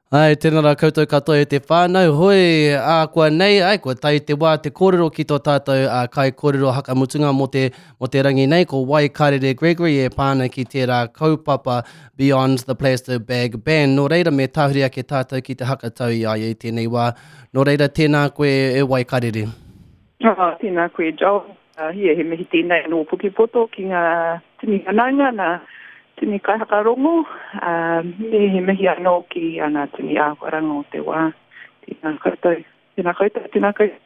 Ai, tēnā rā koutou katoa e te whānau, hoi, ā, kua nei, ai, kua tae te wā te kōrero ki tō tātou ā, kaikōrero hakamutunga mō te, mō te rangi nei, ko Waikarere Gregory e pā ana ki tērā kaupapa Beyond the Plastic Bag Ban. Nō reira, me tāhuri ake tātou ki te hakatau i a ia i tēnei wā. Nō reira, tēnā koe e Waikarere. Oh, tēnā koe, Joel. Uh, yeah, he mihi tēnei nō Pukepoto ki ngā tini whanaunga, nā tini kaihakarongo, uh, me he mihi anō ki uh, ngā tini āhuaranga o te wā. Tēnā koutou, tēnā koutou, tēnā koutou.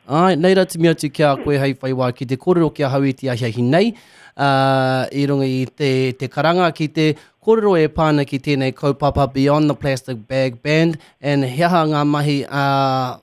Āe, nei rā timi atu ki a koe hei whai wā ki te kōrero ki ahau i te ahiahi nei, uh, i runga i te, te karanga ki te kōrero e pā ana ki tēnei kaupapa Beyond the Plastic Bag Band and he aha ngā mahi ā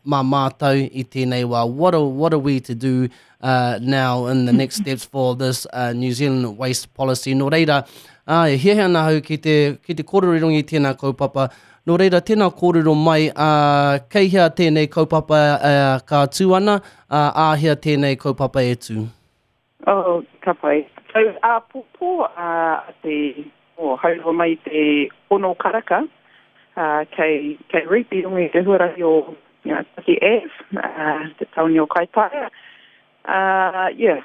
mā mātou i tēnei wā, what are, what are we to do uh, now in the next steps for this uh, New Zealand waste policy. Nō reira, ā, e hiahia ana ahau ki te, ki te kōrero i runga i tēnā kaupapa. Nō reira, tēnā kōrero mai, ā, kei hea tēnei kaupapa ā, ka tū ana, ā, āhea tēnei kaupapa e tū? Oh, ka pai. So, āpōpō a te, oh, haurua mai te ono karaka, uh, kei, kei Reap i runga i te huarahi o you know, Taki Ave, uh, te taone o Kaitaia. Uh, yeah,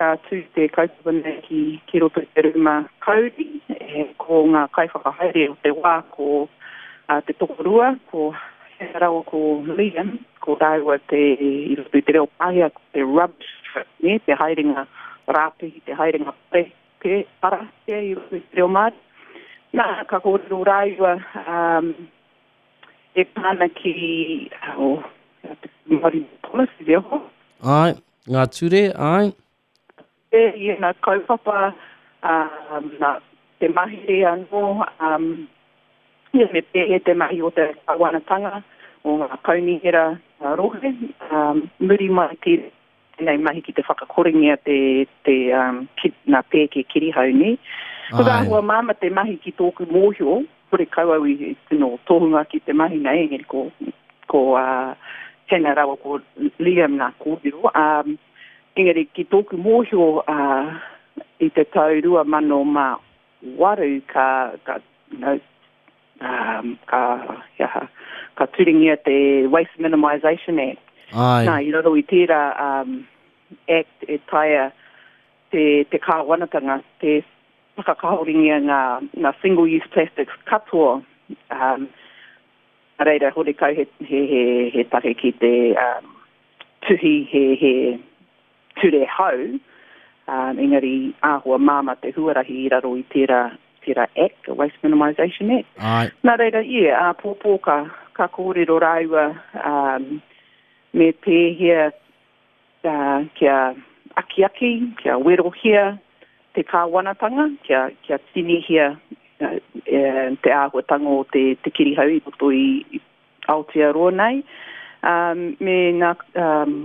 ka tū te kaupapa nei ki, ki roto i te rūma kauri, e, ko ngā kaiwhakahaere o te wā, ko uh, te tokorua, ko Hea rawa ko Liam, ko rāua te, i roto i te reo Pākehā, ko te rubbish trip, nē, te haerenga rāpihi, te haerenga pare, pe, para, pea i roto i te reo Māori. Nā, ka kōrero rāua um, e pā ana ki, oh, te Māori policy, te oho. Āe, ngā ture, āe. E, i ēnā kaupapa, um, nā, te mahere anō, um, ia, me pēhea te mahi o te kāwanatanga, o ngā kaunihera rohe, um, muri mai tēnei mahi ki te whakakorengia te, te, um, ki, ngā pēke kirihau, nē. Ko te āhua māmā te mahi ki tōku mōhio, horekau au i tino tohunga ki te mahi nei, engari ko, ko uh, Hannah rawa ko Liam ngā kōrero, um, Engari ki tōku mōhio i te tau 2008 ka, ka, you know, um, ka, he aha, ka turingia te Waste Minimisation Act. Āe. Nā, i raro i tērā um, Act e taea te, te kāwanatanga te whakakahoringia ngā, ngā single use plastics katoa um, Nā reira, horekau he, he, he, he take ki te um, tuhi he, he ture hou, um, engari āhua māmā te huarahi i raro i tērā, tērā Act, the Waste Minimisation Act. Āe. Nā reira, yeah, āpōpō ka, ka kōrero rāua um, me pēhea kia akiaki, kia werohia te kāwanatanga, kia, kia tinihia te āhuatanga o te, te kirihau i roto i Aotearoa nei, um, me ngā, um,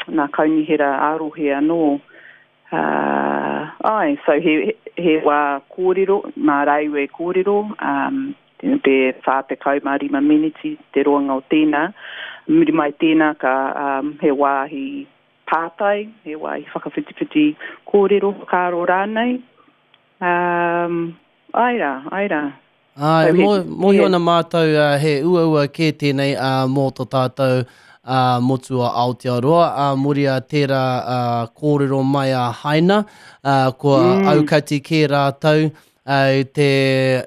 ngā kaunihera ā-rohe anō. Uh, ai, so he, he wā kōrero, mā rāua e kōrero, um, te 45 meneti te roanga o tēnā. Muri mai tēnā ka um, he wāhi pātai, he wāhi whakawhitiwhiti kōrero, whakaaro rānei. Um, ai rā, ai rā. Āe, e mōhio ana mātou he uaua kē tēnei mō tō tātou motu o Aotearoa, ā muri a tērā kōrero mai a Haina, kua aukati kē rātou i te,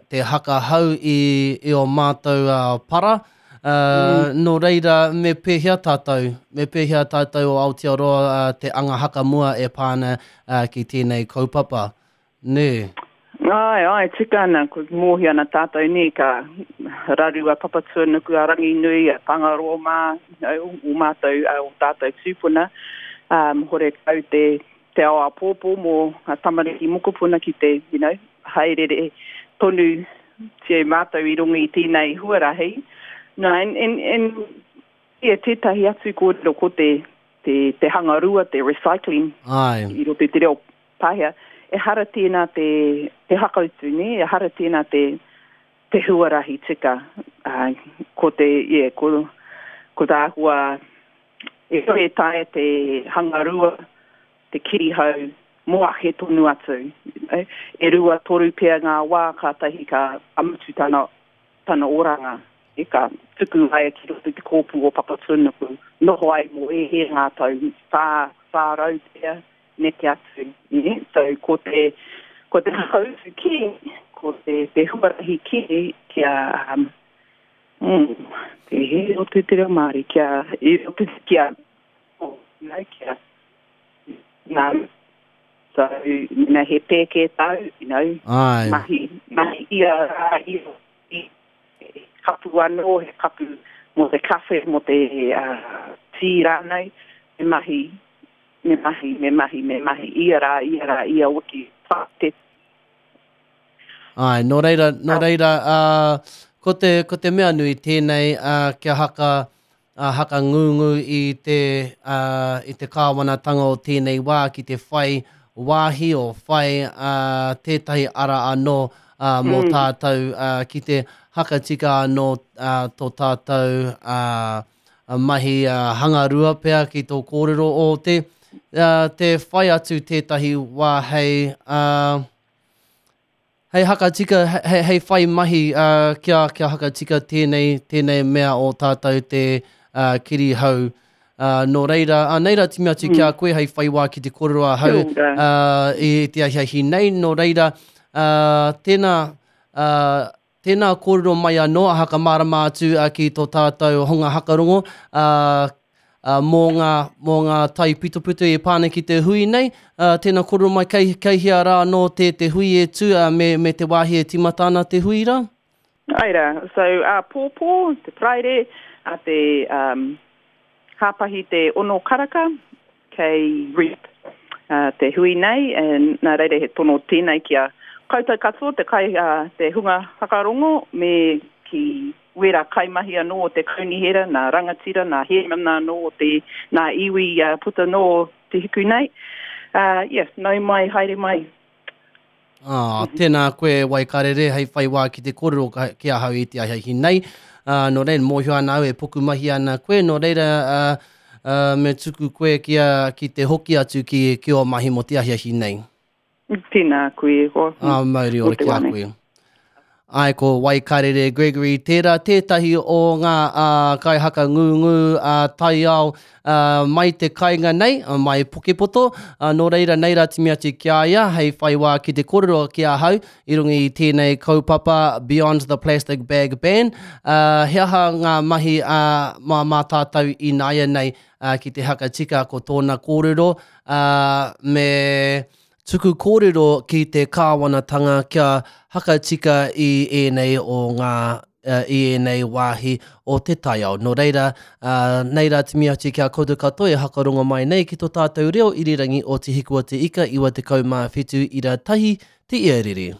te hakahau i, i ō mātou para. Nō reira, me pēhea tātou, me pēhea tātou o Aotearoa te anga hakamua e pā ana ki tēnei kaupapa? Nē. Āe, āe, tika ana, ko mōhio ana tātou nē, ka raru a Papatuanuku, a Ranginui, a Tangaroa mā, you know, ō mātou, ō tātou tūpuna, um, horekau te, te ao āpōpō mō ngā tamariki mokopuna ki te, you know, haerere tonu tia mātou i runga i tēnei huarahi. No, and, and, and yeah, tētahi atu kōrero ko te, te, te hangarua, te recycling Āe. i roto i te reo Pāhea, ehara tēnā te, te hakautu, nē, ehara tēnā te, te huarahi tika. Uh, ko te, yeah, ko, ko te āhua, e kore e taea te hangarua, te kirihau, mō ake tonu atu. E rua, toru pea ngā wā kātahi ka, ka mutu tana, tana oranga. E ka tuku ai ki roto i te kōpū o Papatūānuku, noho ai mō ēhea ngā tau, 400 pea, neke atu, nē? So, ko te, ko te whakautu kē, ko te, te huarahi kē kia, um, mm, te hē roto i te reo Māori, kia, i roto, kia, oh, you know, kia, nā, so, mena he pēke tāu, you know, Āe. mahi, mahi ia rā, ia, he kapu anō, he kapu mō te kawhe, mō te tī rānei, me mahi, me mahi, me mahi, me mahi, ia rā, ia rā, ia wiki, te. Āe, nō reira, nō reira, ā, ko te, ko te mea nui tēnei, ā, kia haka, ā, hakangungu i te, ā, i te kāwanatanga o tēnei wā ki te whai wāhi o whai, ā, tētahi ara anō, ā, mō tātou, ā, ki te hakatika anō, ā, tō tātou, ā, mahi, ā, hangarua pea ki tō kōrero o te, ā, te whai atu tētahi wā hei, ā, Hei hakatika, hei, hei whai mahi uh, kia, kia hakatika tēnei, tēnei mea o tātou te uh, kirihau. Uh, nō reira, uh, nei rā timi atu mm. ki a koe hei whai wā ki te kōrero ahau uh, i te ahiahi nei. Nō reira, uh, tēnā, uh, tēnā kōrero mai anō, a hakamārama atu uh, ki tō tātou honga hakarongo, uh, ā, mō ngā, mō ngā taipitopito e pā ana ki te hui nei. Ā, tēnā kōrero mai, kei, kei hea rā anō te, te hui e tū, ā, me, me te wāhi e tīmata ana te hui rā? Āe rā. So, āpōpō, te Paraire, a te um, Hāpahi te ono karaka, kei Reap uh, te hui nei, and nā reira he tono tēnei ki a koutou katoa, te kai, uh, te hunga whakarongo, me ki wērā kaimahi anō o te kaunihera, nā rangatira, nā hēmana anō o te, nā iwi puta noa o te hiku nei. Uh, yeah, nau mai, haere mai. Ah, tēnā koe Waikarere hei whai wā ki te kōrero ki ahau i te ahiahi nei. Uh, nō reira, mōhio ana au e pukumahi ana koe, nō reira uh, uh, me tuku koe ki, a, ki te hoki atu ki, ki ō mahi mō te ahiahi nei. Tēnā koe e hoa. Ā, mauri ora ki a koe. Āe, ko Waikarere Gregory tērā tētahi o ngā kaihaka ngūngū taiao mai te kainga nei, mai Pukepoto. Nō reira, nei rā timi atu ki a ia hei whai wā ki te kōrero ki ahau i runga i tēnei kaupapa Beyond the Plastic Bag Ban. He aha ngā mahi mā tātou ināianei ki te haka tika ko tōna kōrero, me tuku kōrero ki te kāwanatanga kia hakatika i ēnei o ngā, i ēnei wāhi o te taiao. Nō reira, nei rā timi atu ki a koutou katoa e hakarongo mai nei ki tō tātou reo irirangi o Te Hiku o Te Ika 97 ira tahi te iarere.